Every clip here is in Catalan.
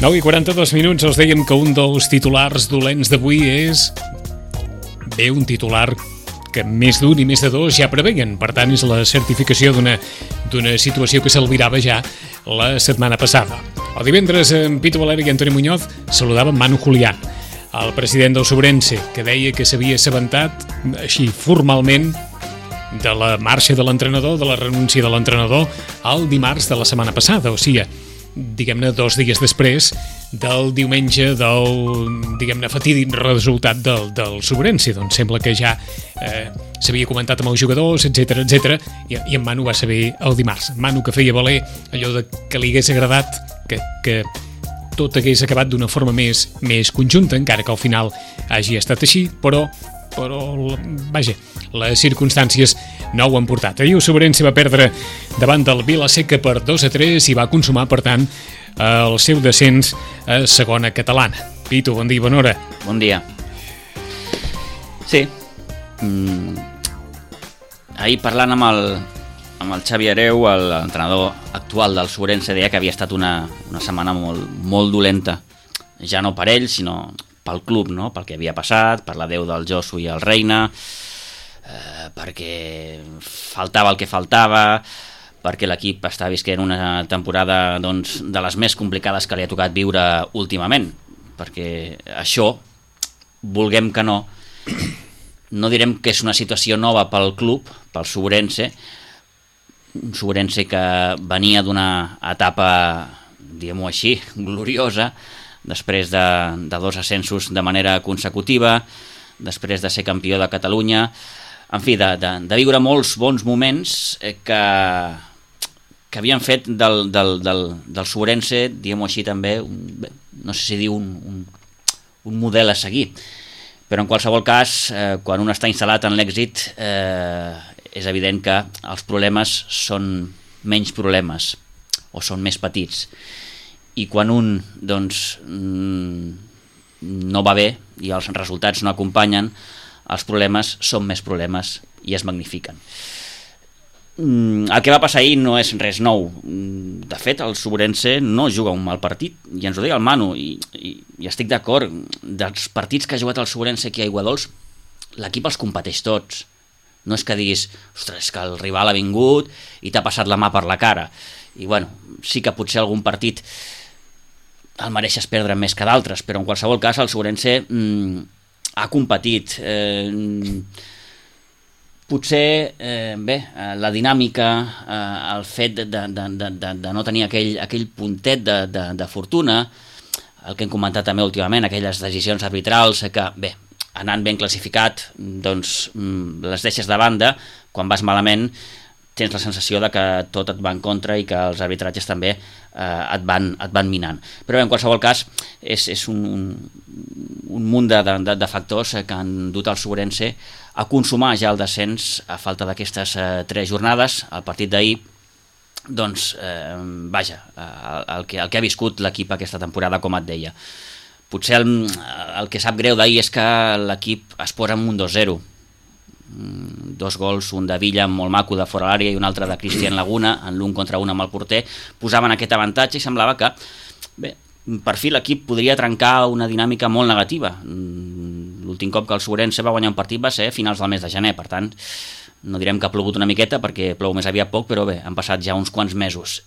9:42, els dèiem que un dels titulars dolents d'avui és un titular que més d'un i més de dos ja preveien. Per tant, és la certificació d'una situació que s'albirava ja la setmana passada. El divendres, en Pitu Valeri i Antoni Muñoz saludaven Manu Julián, el president del Sobrense, que deia que s'havia assabentat així formalment de la marxa de l'entrenador, de la renúncia de l'entrenador, el dimarts de la setmana passada, o sigui, diguem-ne 2 dies després del diumenge del, fatídic resultat del Sobrense. Doncs sembla que ja s'havia comentat amb els jugadors, etc i en Manu va saber el dimarts. Manu, que feia valer allò de que li hagués agradat que tot hagués acabat d'una forma més conjunta, encara que al final hagi estat així, però vaja, les circumstàncies no ho han portat. Ahir el Sobrense va perdre davant del Vila-seca per 2-3 i va consumar, per tant, el seu descens a segona catalana. Pitu, bon dia i bona hora. Bon dia. Sí. Ahir parlant amb el Xavi Hereu, l'entrenador actual del Sobrense, deia que havia estat una setmana molt dolenta, ja no per ell, sinó pel club, no? Pel que havia passat, per l'adeu del Josu i el Reina, perquè faltava el que faltava, perquè l'equip està visquent una temporada de les més complicades que li ha tocat viure últimament, perquè això, vulguem que no direm que és una situació nova pel club, pel Sobrense, un Sobrense que venia d'una etapa, diguem-ho així, gloriosa, després de 2 ascensos de manera consecutiva, després de ser campió de Catalunya, en fi, de viure molts bons moments que havien fet del Sobrense, diguem-ho així també, no sé si dir un model a seguir, però en qualsevol cas, quan un està instal·lat en l'èxit, és evident que els problemes són menys problemes o són més petits, i quan un no va bé i els resultats no acompanyen, els problemes són més problemes i es magnifiquen. El que va passar ahir no és res nou. De fet, el Sobrense no juga un mal partit, i ens ho deia el Manu, i estic d'acord. Dels partits que ha jugat el Sobrense aquí a Aiguadols, l'equip els competeix tots. No és que diguis, ostres, és que el rival ha vingut i t'ha passat la mà per la cara. I bueno, sí que potser algun partit el mereixes perdre més que d'altres, però en qualsevol cas el Sobrense ha competit. Potser, la dinàmica, el fet de no tenir aquell puntet de fortuna, el que hem comentat també últimament, aquelles decisions arbitrals que, anant ben classificat, doncs les deixes de banda, quan vas malament tens la sensació de que tot et va en contra i que els arbitratges també et van minant. Però en qualsevol cas és un munt de factors que han dut el Sobrense a consumar ja el descens a falta d'aquestes 3 jornades. El partit d'ahir, doncs, el que ha viscut l'equip aquesta temporada, com et deia. Potser el que sap greu d'ahir és que l'equip es posa amb un 2-0. 2 gols, un de Villa molt maco de fora l'àrea i un altre de Cristian Laguna, en l'1 contra 1 amb el porter, posaven aquest avantatge i semblava que, per fi l'equip podria trencar una dinàmica molt negativa. L'últim cop que el Sobrense va guanyar un partit va ser a finals del mes de gener, per tant, no direm que ha plogut una miqueta perquè plou més aviat poc, però han passat ja uns quants mesos.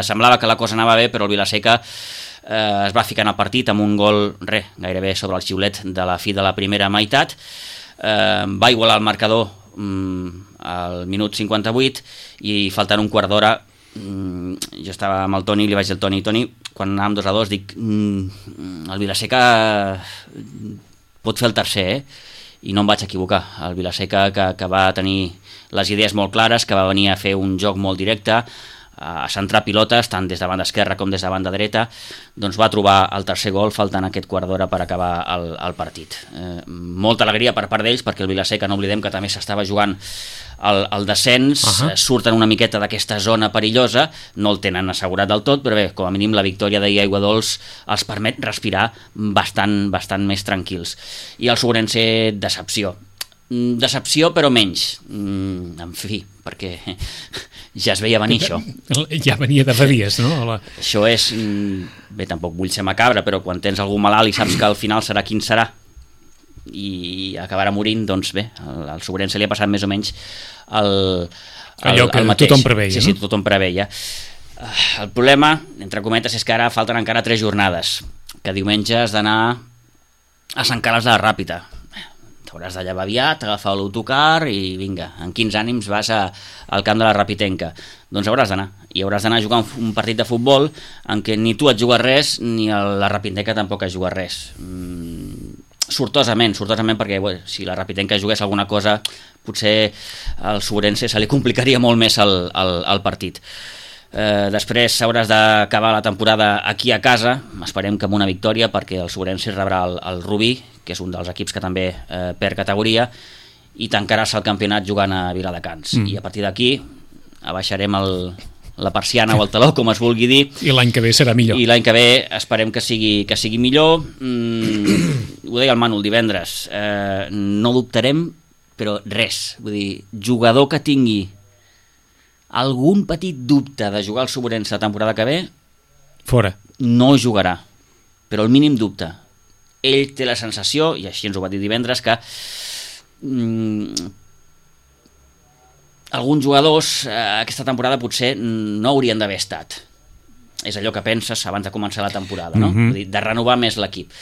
Semblava que la cosa anava bé, però el Vila-seca es va ficar en el partit amb un gol, gairebé sobre el xiulet de la fi de la primera meitat. Va igualar el marcador al minut 58 i faltant un quart d'hora jo estava amb el Toni i li vaig dir al Toni, quan anàvem 2-2 dic, el Vila-seca pot fer el tercer, i no em vaig equivocar. El Vila-seca que va tenir les idees molt clares, que va venir a fer un joc molt directe, a centrar pilotes tant des de banda esquerra com des de banda dreta, doncs va trobar el tercer gol faltant aquest quart d'hora per acabar el partit. Molta alegria per part d'ells, perquè el Vila-seca, no oblidem que també s'estava jugant el descens, surten una miqueta d'aquesta zona perillosa, no el tenen assegurat del tot, però com a mínim la victòria d'ahir a Aiguadols els permet respirar bastant més tranquils. I el Sobrense, decepció, però menys. En fi, perquè ja es veia venir això. Ja venia de fa dies, no? Això és... Bé, tampoc vull ser macabre, però quan tens algú malalt i saps que al final serà quin serà i acabarà morint, doncs bé, al Sobrense li ha passat més o menys allò que mateix. Tothom preveia. Sí, tothom preveia. El problema, entre cometes, és que ara falten encara 3 jornades, que diumenge has d'anar a Sant Carles de la Ràpita. T'hauràs de llevar aviat, agafar l'autocar i vinga, en quins ànims vas al camp de la Rapitenca. Doncs hauràs d'anar. I hauràs d'anar a jugar un partit de futbol en què ni tu et jugues res ni la Rapitenca tampoc es juga res. Sortosament, perquè si la Rapitenca jugués alguna cosa, potser al Sobrense se li complicaria molt més el partit. Després hauràs d'acabar la temporada aquí a casa, esperem que amb una victòria, perquè el Sobrense rebrà el Rubí, que és un dels equips que també perd categoria, i tancaràs el campionat jugant a Viladecans. I a partir d'aquí abaixarem la persiana o el taló, com es vulgui dir. I l'any que ve serà millor. I l'any que ve esperem que sigui millor. Ho deia el Manu el divendres, no dubtarem, però res. Vull dir, jugador que tingui algun petit dubte de jugar al Sobrense la temporada que ve, fora. No jugarà, però el mínim dubte. Ell té la sensació, i així ens ho va dir divendres, que alguns jugadors aquesta temporada potser no haurien d'haver estat. És allò que penses abans de començar la temporada, no? Vull dir, de renovar més l'equip.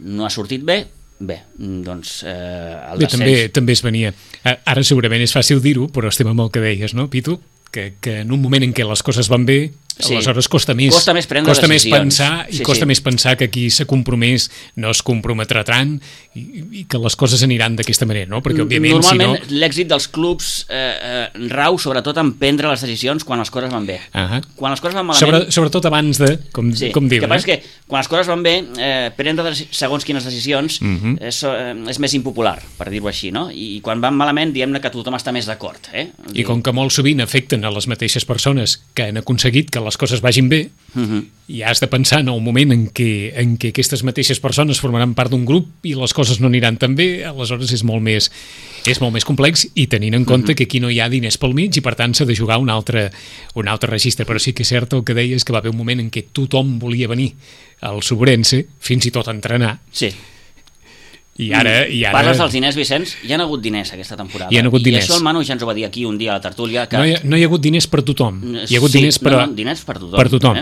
No ha sortit bé, doncs el descens... També es venia. Ara segurament és fàcil dir-ho, però estem amb el que deies, no, Pitu? Que en un moment en què les coses van bé, aleshores costa més pensar i costa més pensar que qui s'ha compromès no es comprometrà tant i que les coses aniran d'aquesta manera, no? Perquè òbviament normalment l'èxit dels clubs rau sobretot en prendre les decisions quan les coses van bé. Quan les coses van malament... Sobretot abans de, com diuen. Que passa que quan les coses van bé, prendre segons quines decisions és més impopular, per dir-ho així, no? I quan van malament, diem-ne que tothom està més d'acord. I com que molt sovint afecten a les mateixes persones que han aconseguit que les coses vagin bé, i has de pensar en el moment en què aquestes mateixes persones formaran part d'un grup i les coses no aniran tan bé, aleshores és molt més complex, i tenint en compte que aquí no hi ha diners pel mig i per tant s'ha de jugar un altre registre. Però sí que és cert el que deies, que va haver un moment en què tothom volia venir al Sobrense, fins i tot a entrenar. Sí. I ara... Parles dels diners, Vicenç? Hi ha hagut diners aquesta temporada. Hi ha hagut diners. I això el Manu ja ens ho va dir aquí un dia a la tertúlia. Que... No hi ha hagut diners per tothom. Hi ha hagut diners diners per tothom. Per tothom.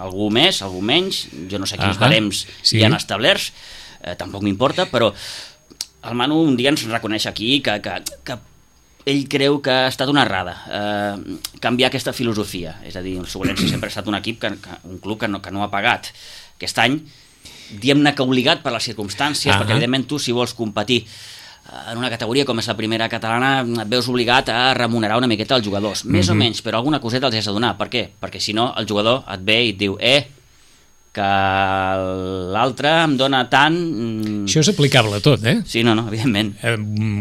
Algú més, algú menys, jo no sé quins barems hi han establerts, tampoc m'importa, però el Manu un dia ens reconeix aquí que ell creu que ha estat una errada canviar aquesta filosofia. És a dir, el Sobrense sempre ha estat un equip, un club que no ha pagat. Aquest any diem-ne que obligat per les circumstàncies, perquè evidentment tu, si vols competir en una categoria com és la primera catalana, et veus obligat a remunerar una miqueta els jugadors, més o menys, però alguna coseta els has de donar. Per què? Perquè si no el jugador et ve i et diu que l'altre em dona tant... Això és aplicable a tot, Sí, no, evidentment.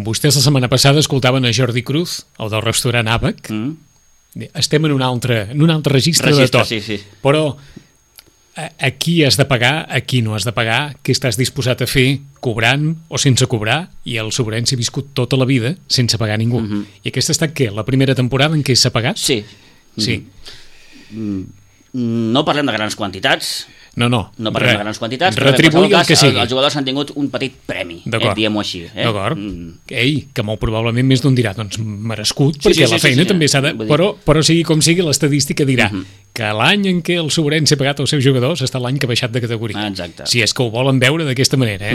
Vostès la setmana passada escoltaven a Jordi Cruz, el del restaurant Àbac. Estem en un altre registre de tot. Sí. Però aquí has de pagar, aquí no has de pagar, què estàs disposat a fer cobrant o sense cobrar, i el Sobrense ha viscut tota la vida sense pagar ningú. I aquesta ha estat, què? La primera temporada en què s'ha pagat? Sí. No parlem de grans quantitats. No parlem de grans quantitats, però retribuir el que sigui. Els jugadors han tingut un petit premi, diguem-ho així. D'acord. Que molt probablement més d'un dirà, doncs merescut, perquè la feina també s'ha de... Però sigui com sigui, l'estadística dirà que l'any en què el Sobrense ha pagat els seus jugadors està l'any que ha baixat de categoria. Exacte. Si és que ho volen veure d'aquesta manera,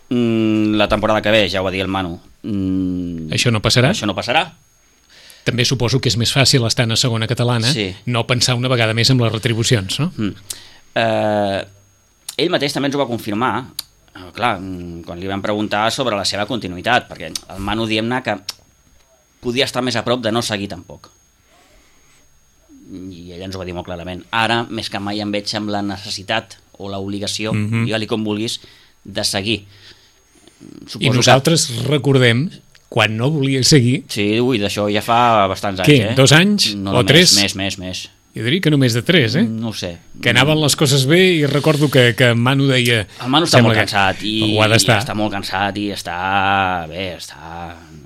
La temporada que ve, ja ho va dir el Manu. Això no passarà? Això no passarà. També suposo que és més fàcil estar a segona catalana, no pensar una vegada més en les retribucions, no? Ell mateix també ens ho va confirmar, clar, quan li van preguntar sobre la seva continuïtat, perquè el Manu, diem-ne que podia estar més a prop de no seguir tampoc, i ell ens ho va dir molt clarament. Ara més que mai em veig amb la necessitat o l'obligació, digue-li com vulguis, de seguir. I nosaltres recordem quan no volia seguir... Sí, d'això ja fa bastants anys. Què, 2 anys o 3? Més. Jo diria que només de 3, No ho sé. Que anaven les coses bé, i recordo que Manu deia... El Manu està molt cansat, ho ha d'estar. Està molt cansat i està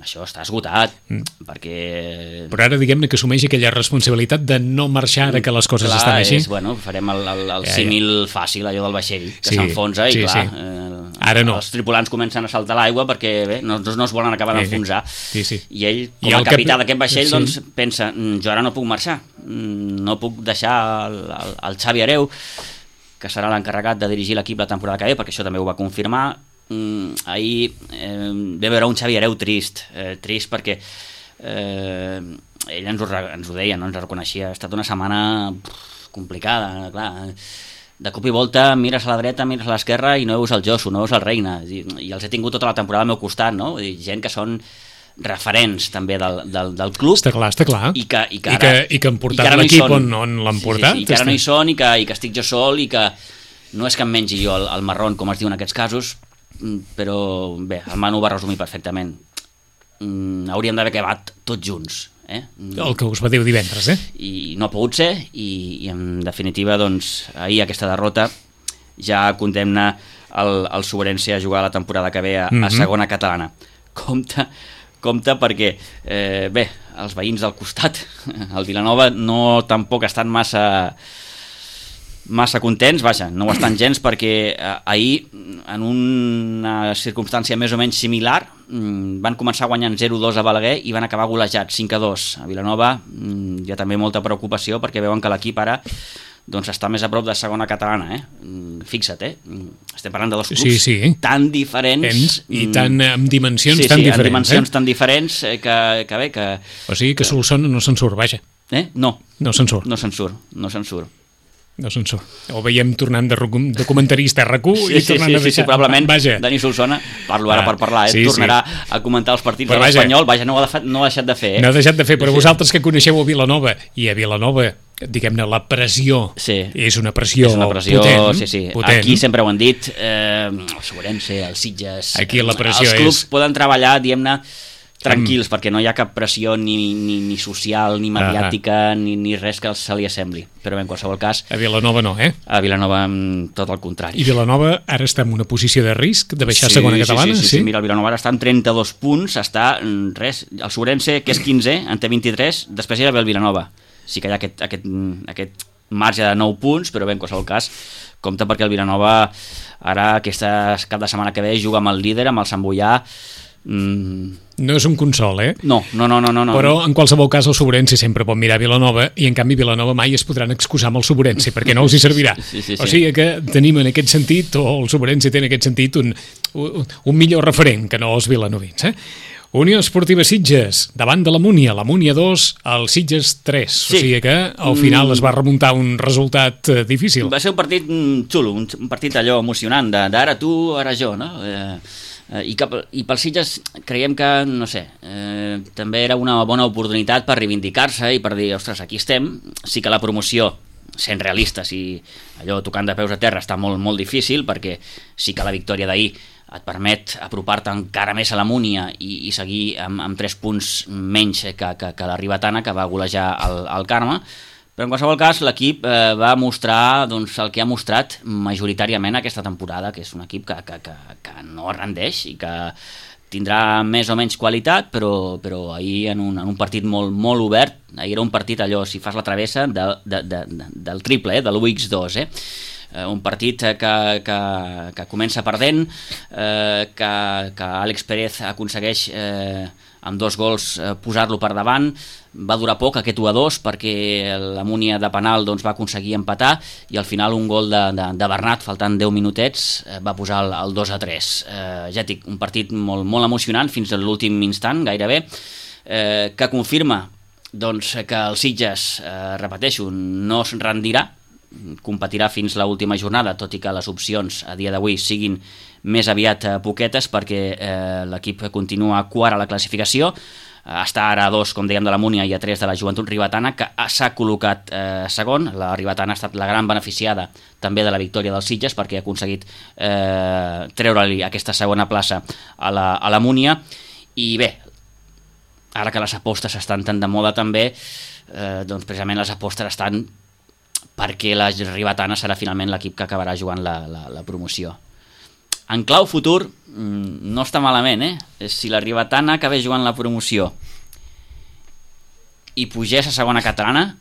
això està esgotat, perquè... Però ara diguem-ne que assumeix aquella responsabilitat de no marxar ara que les coses estan així. Farem el símil fàcil, allò del vaixell, que s'enfonsa i clar, ara no. Els tripulants comencen a saltar l'aigua perquè bé, no es volen acabar d'enfonsar. I ell, com a capità d'aquest vaixell, doncs pensa, jo ara no puc marxar, no puc deixar el Xavi Hereu, que serà l'encarregat de dirigir l'equip la temporada que ve, perquè això també ho va confirmar. Ahir ve veure un Xavi Hereu trist perquè ell ens ho deia, no? Ens reconeixia, ha estat una setmana complicada, clar, de cop i volta mires a la dreta, mires a l'esquerra i no veus el Josu, no veus el Reina, i els he tingut tota la temporada al meu costat, no? Gent que són referents també del club. Està clar. I que han portat l'equip on l'han portat. I que ara no hi són, i que estic jo sol, i que no és que em mengi jo el marrón, com es diu en aquests casos, però bé, el Manu va resumir perfectament. Hauríem d'haver acabat tots junts, el que us va dir divendres, i no ha pogut ser, i en definitiva doncs ahir aquesta derrota ja condemna el Sobrense a jugar la temporada que ve a segona catalana. Compte perquè bé, els veïns del costat, el Vilanova, no tampoc estan massa contents, vaja, no ho estan gens, perquè ahir, en una circumstància més o menys similar, van començar guanyant 0-2 a Balaguer i van acabar golejats 5-2 a Vilanova. Hi ha també molta preocupació perquè veuen que l'equip ara doncs està més a prop de segona catalana, fixa't, estem parlant de dos clubs tan diferents i amb dimensions tan diferents, amb dimensions tan diferents que bé, que... O sigui que Solsona no se'n surt, vaja. No se'n surt. Ho veiem tornant de comentarista a RAC1 i tornant a deixar... Probablement Dani Solsona, parlo ara per parlar, tornarà a comentar els partits de l'Espanyol, vaja, no ho ha deixat de fer. No ha deixat de fer, però vosaltres que coneixeu a Vilanova, i a Vilanova, diguem-ne, la pressió és una pressió potent. Aquí sempre ho han dit, el Sobrense, el Sitges, aquí la pressió els clubs poden treballar, diguem-ne, tranquils, perquè no hi ha cap pressió ni social, ni mediàtica, ni res que se li assembli. Però en qualsevol cas... A Vilanova no, A Vilanova tot el contrari. I Vilanova ara està en una posició de risc de baixar a segona catalana? Sí, mira, el Vilanova ara està en 32 punts, està res, el Sobrense, que és 15, en té 23, després ja ve el Vilanova. Sí que hi ha aquest marge de 9 punts, però bé, en qualsevol cas, compte perquè el Vilanova ara, aquesta cap de setmana que ve, juga amb el líder, amb el Sant Boià. No és un consol, No. Però en qualsevol cas el Sobrense sempre pot mirar Vilanova i en canvi Vilanova mai es podran excusar amb el Sobrense perquè no els hi servirà. O sigui que tenim en aquest sentit, o el Sobrense té en aquest sentit un millor referent que no els vilanovins, Unió Esportiva Sitges, davant de la Múnia 2, el Sitges 3. O sigui que al final es va remuntar un resultat difícil. Va ser un partit xulo, un partit allò emocionant, d'ara tu, ara jo, no? I pel Sitges creiem que, no sé, també era una bona oportunitat per reivindicar-se i per dir, ostres, aquí estem. Sí que la promoció, sent realistes i allò tocant de peus a terra, està molt, molt difícil, perquè sí que la victòria d'ahir et permet apropar-te encara més a la Múnia i seguir amb 3 punts menys que la Ribetana, que va golejar el Carme. Però en qualsevol cas l'equip va mostrar el que ha mostrat majoritàriament aquesta temporada, que és un equip que no es rendeix i que tindrà més o menys qualitat, però ahir en un partit molt, molt obert, ahir era un partit allò, si fas la travessa, del triple, de l'UX2, un partit que comença perdent, que Àlex Pérez aconsegueix amb 2 gols posar-lo per davant. Va durar poc aquest 1-2 perquè la Múnia de penal va aconseguir empatar i al final un gol de Bernat faltant 10 minutets va posar el 2-3. Ja dic, un partit molt, molt emocionant fins a l'últim instant gairebé, que confirma que el Sitges, repeteixo, no es rendirà, competirà fins l'última jornada, tot i que les opcions a dia d'avui siguin més aviat poquetes, perquè l'equip continua quart a la classificació, està ara a 2, com dèiem, de la Múnia i a 3 de la Joventut Ribetana, que s'ha col·locat segon. La Ribetana ha estat la gran beneficiada també de la victòria dels Sitges, perquè ha aconseguit treure-li aquesta segona plaça a la Múnia. I bé, ara que les apostes estan tan de moda també, doncs precisament les apostes estan perquè la Ribetana serà finalment l'equip que acabarà jugant la promoció. En clau futur, no està malament, Si la Ribetana acabés jugant la promoció i pugés a segona catalana,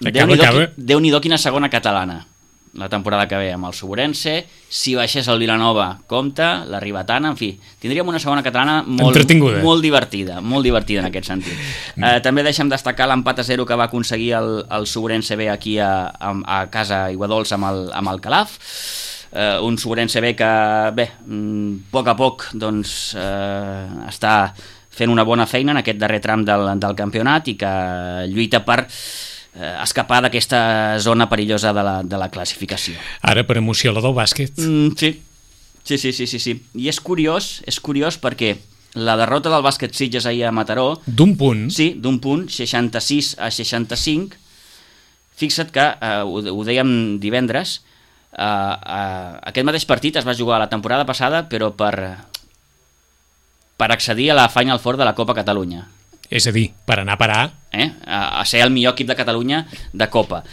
Déu-n'hi-do quina segona catalana la temporada que ve amb el Suburense. Si baixés el Vilanova, compta, la Ribetana, en fi, tindríem una segona catalana molt divertida en aquest sentit. També deixem destacar l'empat a 0 que va aconseguir el Suburense B aquí a casa Aiguadols amb el Calaf. Un Suburense B que, bé, a poc doncs, està fent una bona feina en aquest darrer tram del campionat i que lluita per escapar d'aquesta zona perillosa de la classificació. Ara per emoció la del bàsquet. Sí. I és curiós perquè la derrota del bàsquet Sitges ahir a Mataró... D'un punt? Sí, d'un punt, 66-65. Fixa't que, ho dèiem divendres, aquest mateix partit es va jugar la temporada passada, però per accedir a la Final Four de la Copa Catalunya. És a dir, per anar a parar... a ser el millor equip de Catalunya de Copa.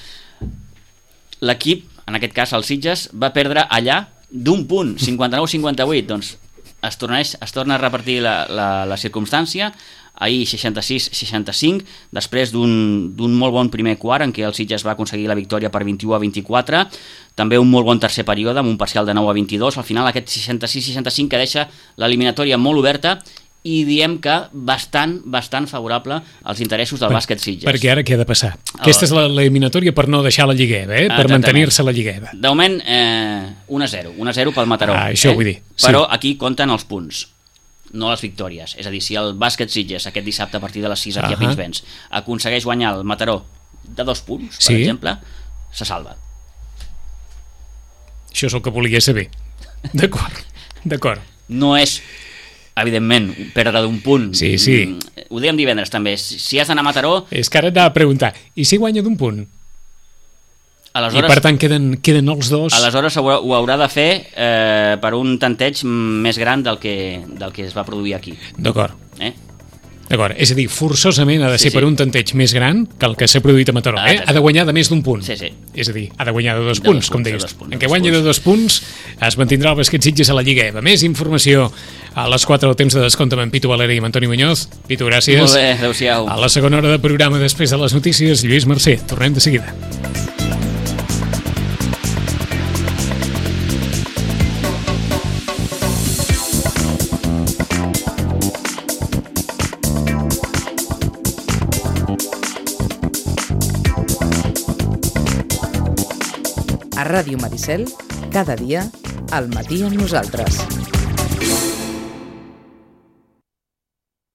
L'equip, en aquest cas el Sitges, va perdre allà d'un punt, 59-58. Doncs es torna a repartir la circumstància. Ahir 66-65, després d'un molt bon primer quart en què el Sitges va aconseguir la victòria per 21-24, també un molt bon tercer període amb un parcial de 9-22. Al final aquest 66-65 que deixa l'eliminatòria molt oberta i diem que bastant favorable als interessos del bàsquet Sitges. Perquè ara què ha de passar? Aquesta és l'eliminatòria per no deixar la Lligueva, per mantenir-se la Lligueva. De moment, 1-0 pel Mataró. Això vull dir. Però aquí compten els punts, no les victòries. És a dir, si el bàsquet Sitges aquest dissabte a partir de les 6 aquí a Pinsbens aconsegueix guanyar el Mataró de 2 punts, per exemple, se salva. Això és el que volia saber. D'acord. No és, evidentment, perdre d'un punt. Sí. Ho dèiem divendres també. Si has d'anar a Mataró... És que ara t'ha de preguntar, i si guanya d'un punt? Aleshores, i per tant queden els dos... Aleshores ho haurà de fer per un tanteig més gran del que es va produir aquí. D'acord. D'acord, és a dir, forçosament ha de ser per un tanteig més gran que el que s'ha produït a Mataró. Ha de guanyar de més d'un punt. Sí. És a dir, ha de guanyar de 2 punts, com deies. En què guanyi de 2 punts es mantindrà el bàsquet Sitges a la Lliga EVA. Més informació a les 4 del temps de descompte amb en Pitu Valeri i amb Antoni Muñoz. Pitu, gràcies. Molt bé, adéu-siau. A la segona hora de programa després de les notícies, Lluís Mercè. Tornem de seguida. A Ràdio Maricel, cada dia, al matí amb nosaltres.